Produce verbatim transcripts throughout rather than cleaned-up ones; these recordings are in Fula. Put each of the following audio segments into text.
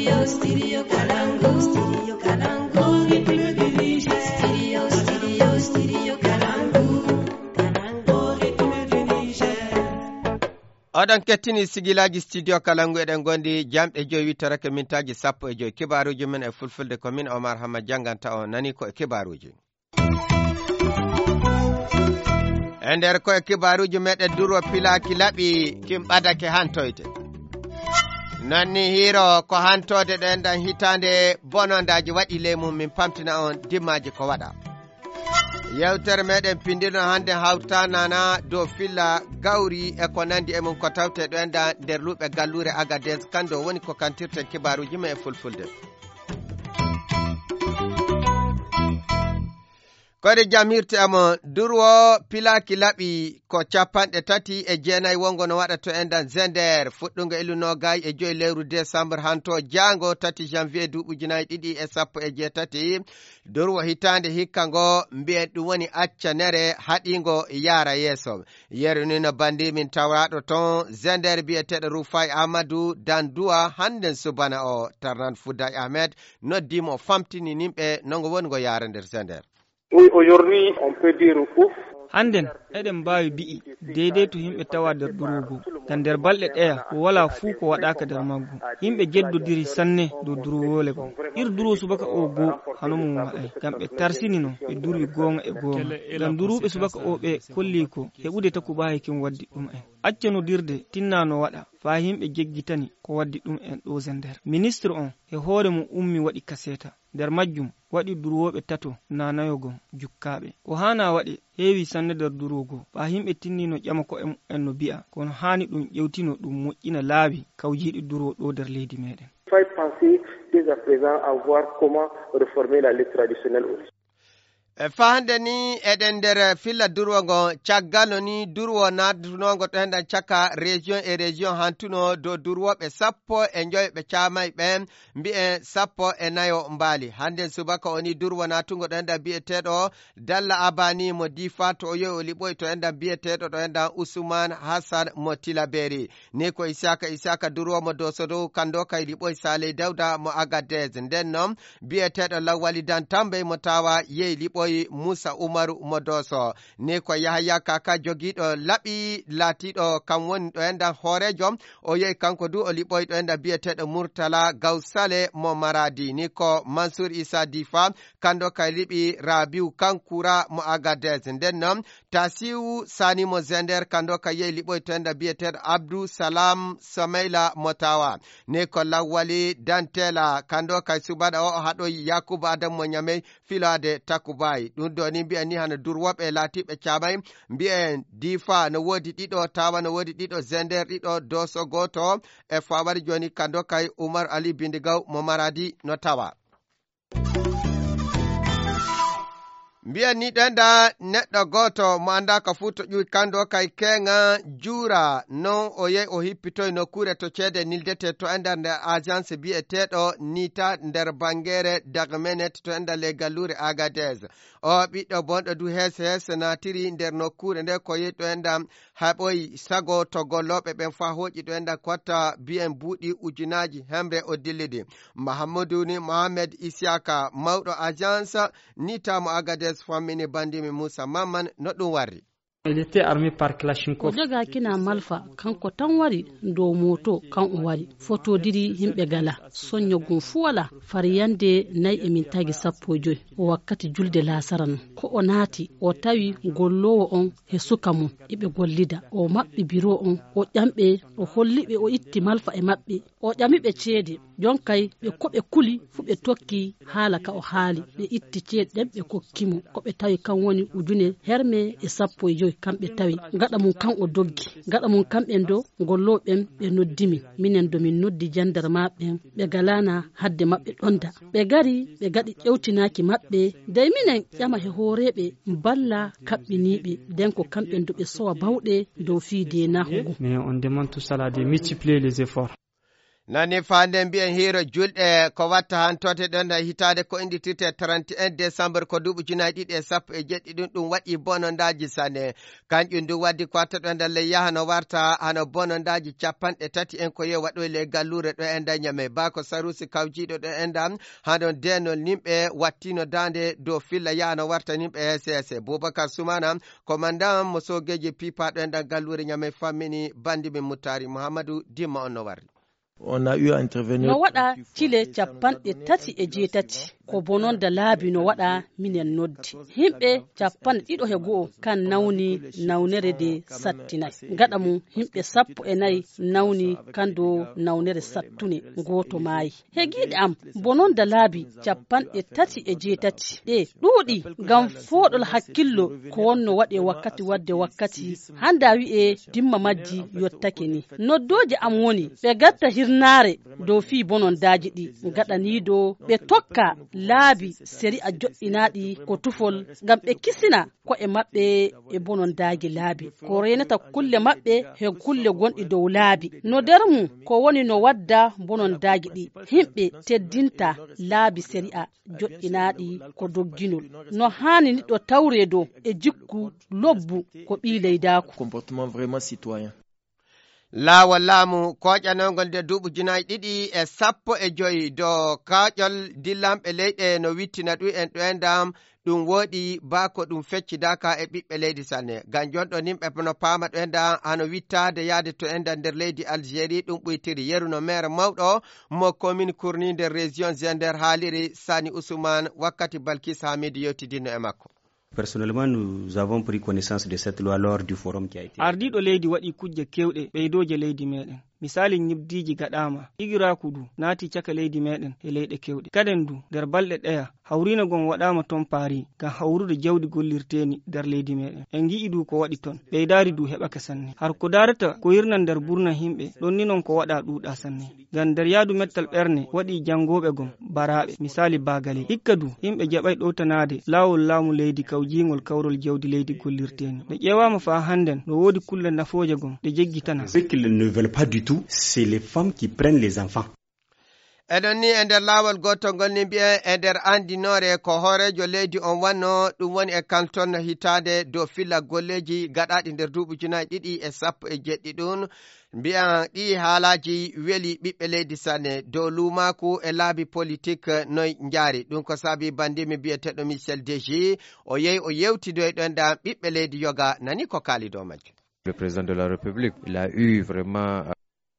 Studio Kalangu, Studio Kalangu, Studio Kalangu, Kalangu, Kalangu, Niger. Oɗon kettini sigilaaji Studio Kalangu, eɗen ngondi jamɗe joyi wittorake mintaaji sappo e joyi. Kibaaruuji men e fulfulde ko min Omar Hamma jannganta on, nani ko e kibaaruuji. E nder ko e kibaaruuji meɗen, durwo pilaaki laɓi kin ɓadake hantoyde. Non ni hiiro ko hantoode ɗo enɗan hitaande bonondaaji waɗi ley mum, min pamtina on dimmaaji ko waɗa. Yewtere meɗen pinndino hannde hawtanana dow filla gawri e ko nanndi e mum ko tawte ɗo enɗan nder luuɓe galluure Agadez, kanndo woni ko kantirten kibaaruuji men e fulfulde. Koɗe jam hirte amo, durwo pilaaki laɓi ko capanɗe tati e jeenayi wongo no waɗa to enɗan Zender, fuɗɗungo ilu noogay e joyi lewru desambur hanto jaango tati janvier duuɓi ujunaaji ɗiɗi e sappo e jeetati. Durwo hitaande hikka ngo mbiyen ɗum woni accanere haɗingo yaara yeeso. Yeru ni no bandi min tawraaɗo ton Zender biyeteeɗo Rufai Amadou Danduwa hannden subana o Tarnan Fouday Ahmed noddi mo famtini nimɓe no ngo woni ngo yaara nder Zender. Oui, aujourd'hui, on peut dire ouf. Hannden, eɗen mbaawi bi'i, deydey to yimɓe tawa nder durogu. Ngam nder balɗe ɗeya, ko walaa fuu ko waɗaaka nder maggu. Yimɓe jeddodiri sanne dow durwoole goo. Ir duro subaka o goo, hano mum wa'ay. Ngam ɓe tarsinino, ɓe durwi goonga e goonga. Ngam duruɓe subaka o ɓe kolli ko, heɓude takubaahi kin waddi ɗum en. Acca nodirde, tinna no waɗa, faa yimɓe jeggitani ko waddi ɗum en ɗo Zender. Ministre on, e hoore mum ummi waɗi kaseeta. Nder majjum, waɗi durwooɓe tato naanayo gom jukkaaɓe. Ko haana waɗe, heewi sanne nder durwo goo. Ɓaa yimɓe tinni no ƴama ko'e mu'en no bi'a, kono haani ɗum ƴewtino ɗum moƴƴina laabi kawjiiɗi durwo ɗo nder leydi meɗen. Faut penser dès à présent à voir comment réformer la lutte traditionnelle au Niger. E fahande ni, eɗen nder filla durwo ngo, caggal no ni durwo naatunoongo ɗo enɗan caka région e région hantuno dow durwooɓe sappo e njoyo ɓe caamay ɓen, mbi'en sappo e nayo mbaali. Hannden subaka o ni durwo naatungo ɗo enɗan bi'eteeɗo Dalla Abani mo Difa to o yowi o liɓoyi to enɗan bi'eteeɗo ɗo enɗan Usman Hassan mo Tilaberi. Ni ko Isaka Isaka durwo mo Doso dow kando kay liɓoyi Saleh Dauda mo Agadez. Nden non bi'eteeɗo Lawwali Dan Tambey mo Tawa yehi liɓoyi Musa Umaru mo Doso. Ni ko Yahaya Kaka jogiiɗo laɓi laatiiɗo kam woni ɗo enɗan hooreejo. O yehi kanko du o liɓoyi ɗo enɗan bi'eteeɗo Murtala Gaw Sale mo Maradi. Ni ko Mansur Isa Difa kando kay liɓi Rabiu Kankura mo Agadez. Nden non Tasiu Sani mo Zender kando kay yehi liɓoyi to enɗan bi'eteeɗo Abdou Salam Someila mo Tawa. Ni ko Lawwali Dantela kando kay subaka o o haɗoyi Yakubu Adam mo Ñamey filaade takubayi. Ɗum ɗo ni mbi'en ni hano durwoɓe laatiɓe caamay. Mbi'en Difa no woodi ɗiɗo, Tawa no woodi ɗiɗo, Zender ɗiɗo, Doso gooto. E fawari jooni kando kay Umar Ali Bindigaw mo Maradi no tawa. Mbiyen ni ɗo enɗan neɗɗo gooto mo anndaaka fuu to ƴuwi kanndo kay keeŋa juura. Non o yehi o hippitoyi nokkuure to ceede nildete to enɗan nder agence biyeteeɗo Nita nder bangeere Dagmenet to enɗan ley galluure Agadez. O ɓiɗɗo bonɗo du heese heese naatiri nder nokkuure nde ko yehi to enɗan haɓoyi sago to gollooɓe ɓen faa hooƴi ɗo enɗan kotta biyen buuɗi ujunaaji hemre o dillidi. Mahamudu ni Mohamed Isiyaka, mawɗo agence Nita mo Agadez, fammini banndimi Moussa Mamman no ɗum warri. Il était armé par Kalachnikov. O jogaakina malfa, kanko tan wari dow mooto, kan o wari. Fotodiri yimɓe gala, soñño gum fuu wala, far yande nay e min tagi sappo e joy, o wakkati julde laasara non. Ko o naati, o tawi golloowo on he suka mum, iɓe gollida. O maɓɓi biro on, o ƴamɓe, o holliɓe, o itti malfa e maɓɓe. O ƴamiɓe ceede. Jonkay ɓe ko ɓe kuli fuu ɓe tokki haala ka o haali. Ɓe itti ceede ɗen ɓe kokki mo. Ko ɓe tawi kan woni ujune herme e sappo e joy kan ɓe tawi. Gaɗa mum kan o doggi. Gaɗa mum kan ɓen do gollooɓe ɓen ɓe noddi min. Minen do min noddi jandarmaaɓe ɓen ɓe galaana hadde maɓɓe ɗonda. Ɓe gari ɓe gaɗi ƴewtinaaki maɓɓe. Dey minen ƴama he hooreeɓe balla kaɓɓiniiɓe. Den ko kamɓen do ɓe sowa bawɗe dow fii deenaaku ngun. Mais on demande tout cela de multiplier les efforts. Nani faande mbiyen hiiro julɗe ko watta han toote ɗon e hitaade ko inndirtirte trente et un décembre ko duuɓi ujunaaji ɗiɗi e sappo e jeɗɗi ɗum, ɗum waɗi bonondaaji sanne. Kanƴum ndu waddi ko watta ɗo e nder ley yaha no warta hano bonondaaji capanɗe tati en ko yo waɗoy ley galluure ɗo e nder Ñamey. Baa ko Saruusi kawjiiɗo ɗo e nder hano deenol nimɓe wattino daande dow filla yaha no warta nimɓe S S. Bubakar Sumana, komandan mo soogeeji piipaaɗo e nder galluure Ñamey fammini bandi min Muttaari Muhammadu Dimma on no warri. On a eu à intervenir. No waɗa cile capanɗe tati e jeetati. Ko bononda laabi no waɗa minen noddi. Himɓe capanɗe ɗiɗo he go'o kan nawni nawnere de sattinay. Gaɗa mum himɓe sappo e nayi nawni kan do nawnere sattune gooto maayi. He giiɗe am, bononda laabi capanɗe tati e jeetati. Ɗe ɗuuɗi ngam fooɗol hakkillo ko wonno waɗe wakkati wadde wakkati hannde a wi'e dimma majji yottake ni. Noddooje am woni ɓe gatta hirnaare dow fii bonondaaji ɗi gaɗaniido ɓe tokka laabi sari'a joɗɗinaaɗi ko tufol ngam ɓe kisina ko'e maɓɓe e bonondaaji laabi. Ko reenata kulle maɓɓe he kulle gonɗi dow laabi. No nder mum ko woni no wadda bonondaaji ɗi. Himɓe teddinta laabi sari'a joɗɗinaaɗi ko dogginol. No haani niɗɗo tawree dow e jikku lobbu ko ɓii leydaaku. Comportement vraiment citoyen. Laawol laamu kooƴanongol nde duuɓi junaaji ɗiɗi e sappo e joyi do kaaƴol dillanɓe leyɗe no wittina ɗum en ɗo e ndam ɗum wooɗi baa ko ɗum feccidaaka e ɓiɓɓe leydi sanne. Ngam jonɗo nimɓe no paama ɗo e ndam hano wittaade yaade to e ndam nder leydi Algérie ɗum ɓuytiri. Yeru no maire mawɗo mo commune Kurni nder région Zender haaliri Sani Ousmane wakkati Balkis Hamidu yewtidinno e makko. Personnellement, nous avons pris connaissance de cette loi lors du forum qui a été. Ardiiɗo leydi waɗi kujje keewɗe ɓeydooje leydi meɗen. Misaali ñibdiiji gaɗaama, igiraaku du naati caka leydi meɗen e leyɗe keewɗe. Kaden du, nder balɗe ɗeya, hawriina gon waɗaama ton Paris ngam hawrude jawdi gollirteeni nder leydi meɗen. En ngi'i du ko waɗi ton. Ɓeydaari du heɓake sanne. Har ko daarata ko yirnan nder burna himɓe, ɗon ni non ko waɗa ɗuuɗa sanne. Ngam nder yaadu mettal ɓerne waɗi janngooɓe gom baraaɓe, misaali baagaley. Hikka du, yimɓe jaɓay ɗowtanaade laawol laamu leydi kawjiingol kawrol jawdi leydi gollirteeni. Nde ƴeewaama faa hannden, no woodi kulle nafooje gom ɗe jeggitana. Ce qu'ils ne veulent pas du tout, c'est les femmes qui prennent les enfants. Eɗon ni e nder laawol gootol ngol ni mbiyen e nder anndinoore ko hooreejo leydi on wanno ɗum woni e kanton hitaande dow filla golleeji gaɗaaɗi nder duuɓi junaaji ɗiɗi e sappo e jeɗɗi ɗum. Mbiyan ɗii haalaaji weli ɓiɓɓe leydi sanne dow luumaaku e laabi politik noy njaari. Ɗum ko saabi banndimi biyeteeɗo Michel Deji, o yehi o yewtidoyɗo e ndan ɓiɓɓe leydi yoga nani ko kaali dow majjum. Le président de la République, il a eu vraiment.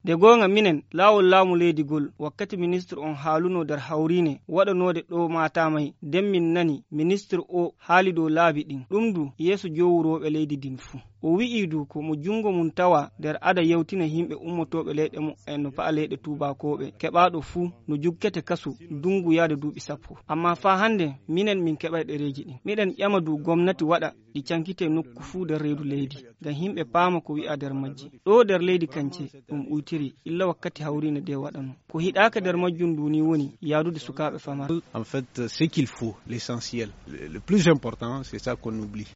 Nde goonga minen, laawol laamu leydi gol, wakkati ministre on haalunoo nder hawriine waɗanoode ɗo Matamay, nden min nani ministre o haali dow laabi ɗin. Ɗum du yeeso jowurooɓe leydi ndin fuu. O wi'i du ko mo junngo mum tawa nder ada yewtina yimɓe ummotooɓe leyɗe mu'en no pa'a leyɗe tuubaakooɓe, keɓaaɗo fuu no jukkete kasu ndungu yaade duuɓi sappo. Ammaa faa hannde minen min keɓay ɗereeji ɗin. Miɗen ƴama du gomnati waɗa ɗi cankitee nokku fuu nder reedu leydi, ngam yimɓe paama ko wi'aa nder majji. Ɗoo nder leydi kance ɗum uytiri, illa wakkati hawriine nde waɗanoo. Ko hiɗaaka nder majjum ndu ni woni yaadude sukaaɓe famarɓe. En fait, ce qu'il faut, l'essentiel, le, le plus important, c'est ça qu'on oublie.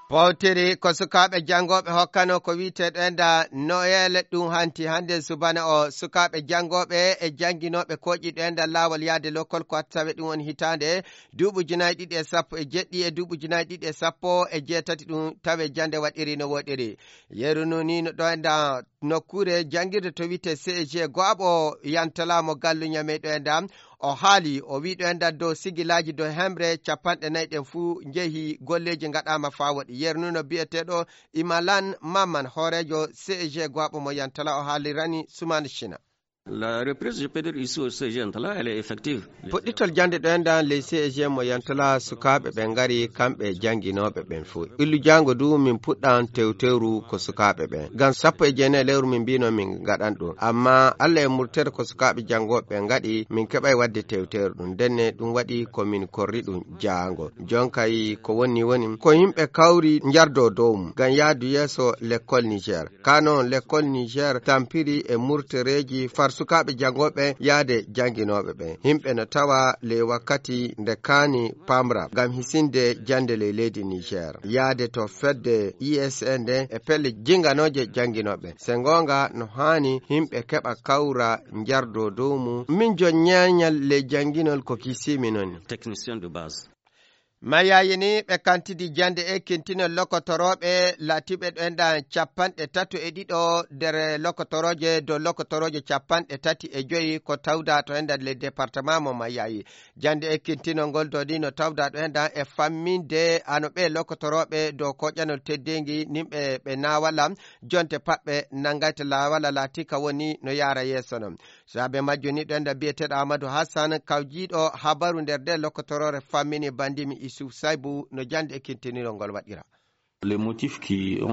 Pawtiri ko sukaaɓe janngooɓe hokkano ko wi'etee ɗo enda Noel ɗum hanti hannde subana o sukaaɓe janngooɓe e jannginooɓe kooƴi ɗo enda laawol yaade lokol ko tawe ɗum woni hitaande duuɓi ujunaaji ɗiɗi e sappo e jeɗɗi e duuɓi ujunaaji ɗiɗi e sappo e jeetati ɗum tawe jannde waɗiri no woɗiri. Yeru nu ni no ɗo enda nokkuure janngirde to wi'etee C E G go'aɓo yantalaamo gallu ñamey ɗo enda. O haali, o wi'i ɗo e nder dow sigilaaji dow hemre capanɗe nayi ɗen fuu njehi, golleeji ngaɗaama faa woɗi. Yernuno biyeteeɗo Imalan Mamman, hooreejo C E G go'aɓo mo Yantala, o haalirani Sumaani Cina. La reprise, je peux dire ici au C E G Yantala, elle est effective. Puɗɗitol jannde ɗo e nder ley C E G mo Yantala, sukaaɓe ɓen ngari, kamɓe e jannginooɓe ɓen fuu. Illu jaango du min puɗɗan tewtewru ko sukaaɓe ɓen. Ngam sappo e jeenayi lewru min mbiino min ngaɗan ɗum. Ammaa Allah e murtere ko sukaaɓe janngooɓe ɓen ngaɗi, min keɓay waɗde tewteeru ɗum. Ndenne ɗum waɗi ko min korri ɗum jaango. Jonkay ko woni woni ko yimɓe kawri njardoo dow mum ngam yaadu yeeso lekkol Niger. Kaa non lekkol Niger tampiri e murtereeji far sukaaɓe janngooɓe yaade jannginooɓe ɓen. Yimɓe no tawa ley wakkati nde kaani pamra ngam hisinde jannde ley leydi Niger. Yaade to fedde I S N nde e pelle jinnganooje jannginooɓe. Se ngoonga no haani yimɓe keɓa kawra njardoo dow mum. Min jon ñaañal ley jannginol ko kisimi non. Technicien de base. Mayaayi ni ɓe kantidi jannde ekkintinol lokotorooɓe laatiiɓe ɗo enɗan capanɗe tato e ɗiɗo nder lokotorooje dow lokotorooje capanɗe tati e joyi ko tawda to enɗan le département mo Mayaayi. Jannde ekkintinol ngol dow ni no tawda ɗo enɗan e famminde ano ɓe lokotorooɓe dow koƴanol teddeengi nimɓe ɓe naawala jonte paɓɓe nanngayta laawala laatii ka woni no yaara yeeso non. Saabe majjum ni ɗo enɗan biyeteeɗo Amadou Hassan kawjiiɗo habaru nder nde lokotoroore fammini bandimi Isuf Saybu no jannde ekkintinirol ngol waɗira.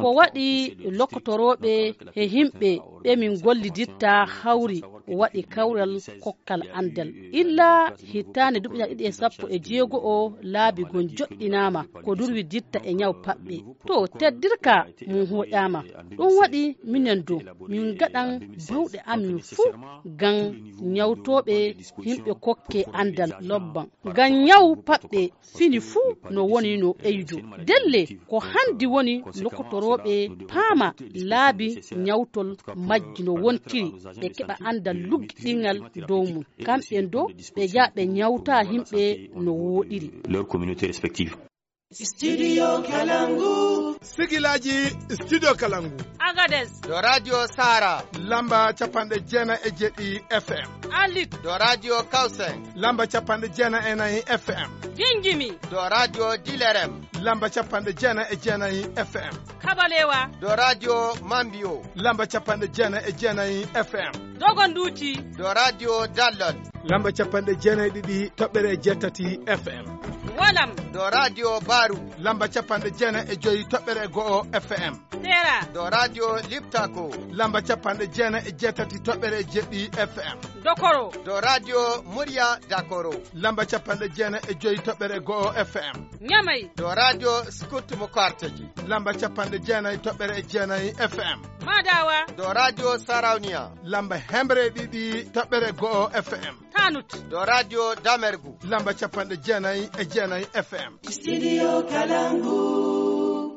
Ko waɗi lokotorooɓe e yimɓe ɓe min gollidirta hawri waɗi kawral kokkal anndal. Illa hitaande duuɓi ɗiɗi e sappo e jeego o laabi gon joɗɗinaama ko durwidirta e ñaw paɓɓe. To teddirka mum hoƴaama. Ɗum waɗi minen do min ngaɗan bawɗe amin fuu ngam ñawtooɓe yimɓe kokke anndal lobban. Ngam ñaw paɓɓe fini fuu no woni no ɓeydu. Delle ko hanndi woni lokotorooɓe paama laabi ñawtol majji no wontiri ɓe keɓa anndal luggiɗingal dow mum. Kamɓe do ɓe njaha ɓe ñawta yimɓe no wooɗiri. Leur communauté respective. Studio Kalangu. Sigilaaji Studio Kalangu. Agades. Ɗo Radio Sara. Lamba capanɗe jeenayi e jeɗɗi F M. Alit. Ɗo Radio Kausen. Lamba capanɗe jeenayi e nayi F M. Gingimi. Ɗo Radio Dilerem. Lamba capanɗe jeenayi e jeenayi F M. Kabalewa. Ɗo Radio Mambio. Lamba capanɗe jeenayi e jeenayi F M. Dogonduuti. Ɗo Radio Dallol. Lamba capanɗe jeenayi e ɗiɗi toɓɓere jeetati F M. Walam. Ɗo Radio Baru. Lamba capanɗe jeenayi e joyi toɓɓere go'o F M. Sera. Ɗo Radio Liptako. Lamba capanɗe jeenayi e jeetati toɓɓere jeɗɗi F M. Dokoro. Ɗo Radio Murya Dakoro. Lamba capanɗe jeenayi e joyi toɓɓere go'o F M. Ñamay. Ɗo Radio Scout mo Karteji. Lamba capanɗe jeenayi toɓɓere jeenayi F M. Madawa. Ɗo Radio Sarauniya. Lamba hemre ɗiɗi toɓɓere go'o F M. Tanut. Ɗo Radio Damergu. Lamba capanɗe jeenayi e jeenayi F M. Studio Kalangu.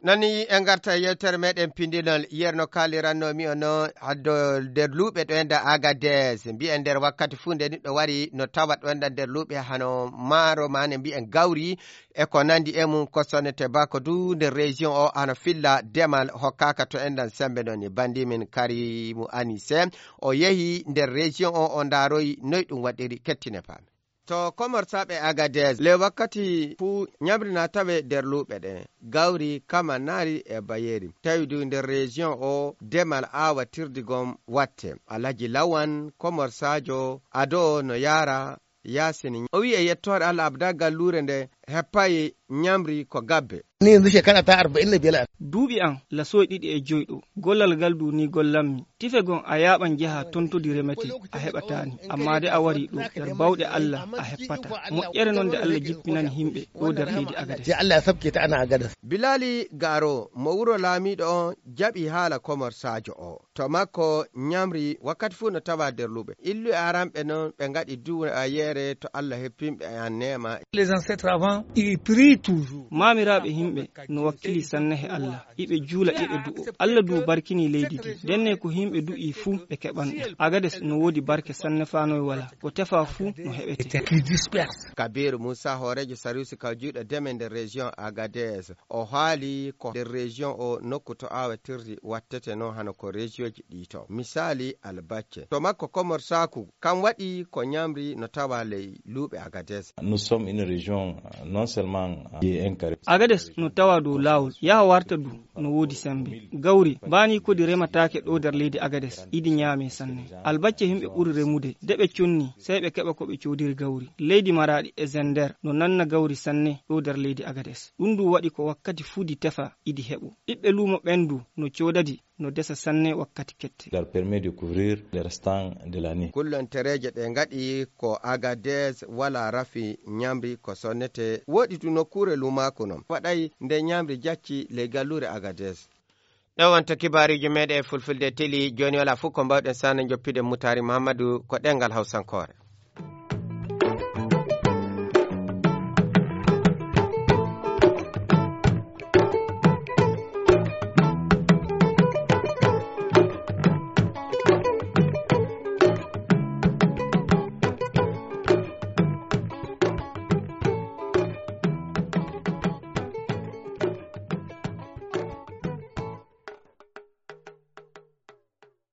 Nani en ngarta e yewtere meɗen pindinol, yerno kaaliranno mi o no haddo nder luuɓe ɗo enda Agades. Mbi'en nder wakkati fuu nde niɗɗo wari no tawa ɗo enda nder luuɓe hano maaro maane mbi'en gawri e ko nandi e mum ko sonnete bako du nder région o hano filla demal hokkaka to endan sembe non ni. Bandi min Karimu Anise o yehi nder région o, o ndaroyi noy ɗum waɗiri kettine paami. To Komorsaaɓe Agadez, le wakkati fuu ñamri na tawe nder luuɓe ɗe, gawri, kama, naari e bayeeri. Tawi du nder région o, demal aawatirdi gom watte. Alhaji Lawan, Komorsaajo, ado no yaara Yaasin. O wi'i e yettoore Allah abda galluure nde heppay ñamri ko gabbe. Ni yanzu shekara ta arba'in da biyar. Duuɓi am lasooy ɗiɗi e joy ɗo. Gollal ngal du ni gollammi. Tife gon a yaaɓan njaha tontodi remete a heɓataani. Ammaa de a wari ɗo nder bawɗe Allah a heppata. Moƴƴere non nde Allah jippinani himɓe ɗo nder leydi Agades. Sai Allah ya sabke ta ana Agades. Bilali Garo mo wuro laamiiɗo on jaɓi haala Komorsaajo o. To makko ñamri wakkati fuu no tawa nder luuɓe. Illu e aranɓe non ɓe ngaɗi duwayeere to Allah heppinɓe e an neema. Les ancêtres avant, ils prient toujours. Maamiraaɓe himɓe no wakkili sanne he Allah. Iɓe juula iɓe du'o. Allah du barkini leydi ndi. Denne ko himɓe du'i fuu ɓe keɓan ɗum. Agades no woodi barke sanne faa noy wala. Ko tefa fuu no heɓete. Qui disperse. Kabiru Musa hooreejo Sarusi kawjiiɗo deme nder région Agadez. O haali ko nder région o nokku to aawatirdi wattete non hano ko région ji ɗi to. Misaali Albacce. To makko Komorsaaku, kam waɗi ko ñamri no tawa ley luuɓe Agadez. Nous sommes une région, euh, non seulement, euh, qui est enclavée. Agades no tawa dow laawol, yaha warta du no woodi sembe. Gawri, baani kodi remataake ɗo nder leydi Agades, idi ñaame sanne. Albacce himɓe ɓuri remude, de ɓe conni, sey ɓe keɓa ko ɓe coodiri gawri. Leydi Maraɗi e Zender no nanna gawri sanne ɗo nder leydi Agades. Ɗum du waɗi ko wakkati fuu di tefa, idi heɓo. Ɓiɓɓe luumo ɓen du no coodadi, no desa sanne wakkati kette. Leur permet de couvrir les restants de l'année. Kullontereeje ɗe ngaɗi ko Agadez wala rafi ñamri ko sonnete. Woɗi du nokkuure luumaaku non. Waɗay nde ñamri jacci ley galluure Agadez. Ɗo wonto kibaaruuji meeɗen e fulfulde teli. Jooni wala fof ko mbaawɗen sana njoppide Mutaari Muhammadu ko ɗenngal Hawsankoore.